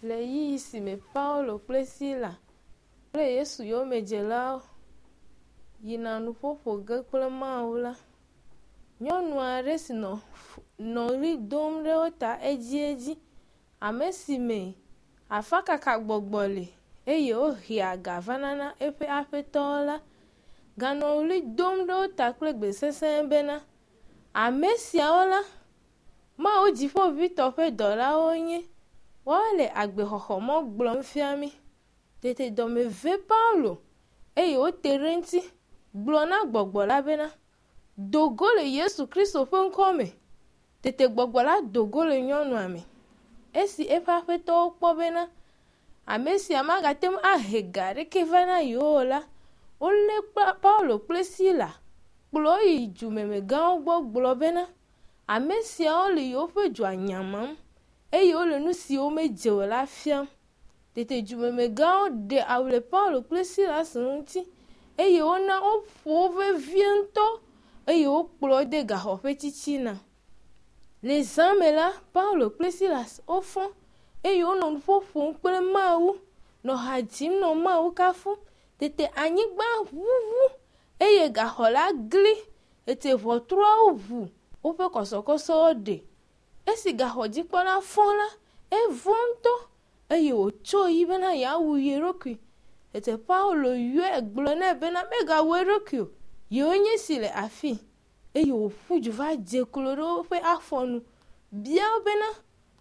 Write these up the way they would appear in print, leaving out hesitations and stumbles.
Le ɣeyiɣi si me Paulo kple Sila kple Yesu yomedzelawo yina nuƒo ƒo ge kple Mawu la, nyɔnu aɖe si nɔ nɔ ɣli dom ɖe wo ta edziedzi, ame si me afakakagbɔgbɔ le eye wohea ga vana na eƒe aƒetɔwo la, ganɔ ɣli dom ɖe wo ta kple gbe sesẽ bena, Ame siawo la, Mawu Dziƒoʋĩtɔ ƒe dɔlawo wonye, woale agbexɔxɔmɔ gblɔm fia mí. Tete dɔme ve Paulo eye wòte ɖe eŋuti gblɔ na gbɔgbɔ la bena, Do go le Yesu Kristo ƒe ŋkɔ me. Tete gbɔgbɔ la do go le nyɔnua me. Esi eƒe aƒetɔwo kpɔ bena ame sia magate ŋu ahe ga aɖeke va na yewo o la, wolé Paulo kple Sila kplɔ wo yi dumemegãwo gbɔ gblɔ bena, Ame siawo le yewoƒe dua nyamam eye wole nu siwo medze o la fiam. Tete dumemegãwo ɖe awu le Paulo kple Silas ŋuti eye wona woƒo wo vevie ŋutɔ eye wokplɔ wo de gaxɔ ƒe titina. Le zã me la, Paulo kple Silas wofɔ eye wonɔ nuƒo ƒom kple Mawu, nɔ ha dzim nɔ Mawu kafum. Tete anyigba ʋuʋu eye gaxɔ la gli. Tete ʋɔtruawo ʋu, woƒe kɔsɔkɔsɔwo ɖe. Esi gaxɔdzikpɔla fɔ la, evɔ̃ ŋutɔ eye wòtso yi bena yeawu ye ɖokui. Tete Paulo yɔe gblɔ nɛ bena megawu eɖokui o, yewoe nye esi le afii. Eye wòƒu du va dze klo ɖe woƒe afɔ nu bia wo bena,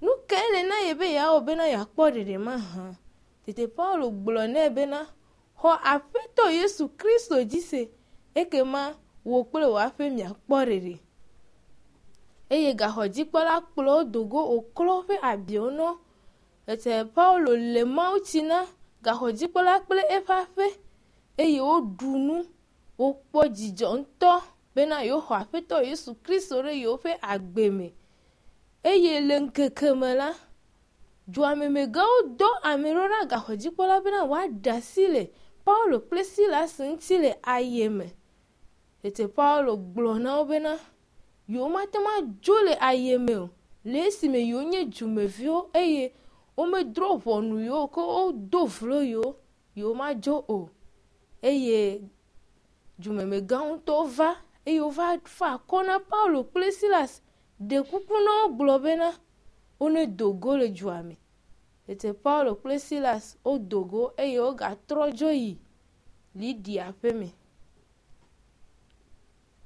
nu kae le na ye be yeawɔ bena yeakpɔ ɖeɖe mahã? Tete Paulo gblɔ nɛ bena, xɔ Aƒetɔ Yesu Kristo dzi se, ekema wò kple wò aƒe miakpɔ ɖeɖe. Eye gaxɔdzikpɔla kplɔ wo do go wòklɔ woƒe abiwo na wo. Tete Paulo le mawutsi na gaxɔdzikpɔla kple eƒe aƒe eye woɖu nu. Wokpɔ dzidzɔ ŋutɔ bena yewoxɔ Aƒetɔ Yesu Kristo ɖe yewoƒe agbe me. Eye le ŋkeke me la, duamemegãwo dɔ ame ɖo ɖa gaxɔdzikpɔla bena wòaɖe asi le Paulo kple Silas ŋuti le aye me. Tete Paulo gblɔ na wo bena yewomate ŋu adzo le aye me o le esime yewonye dumeviwo eye womedrɔ̃ ʋɔnu yewo o ke wodo vlo yewo, yewomadzo o. Eye dumemegãwo ŋutɔ va eye wova fa akɔ na Paulo kple Silas ɖe kuku na wo gblɔ bena wonedo go le dua me. Tete Paulo kple Silas wodo go eye wogatrɔ dzo yi Lidia ƒe me.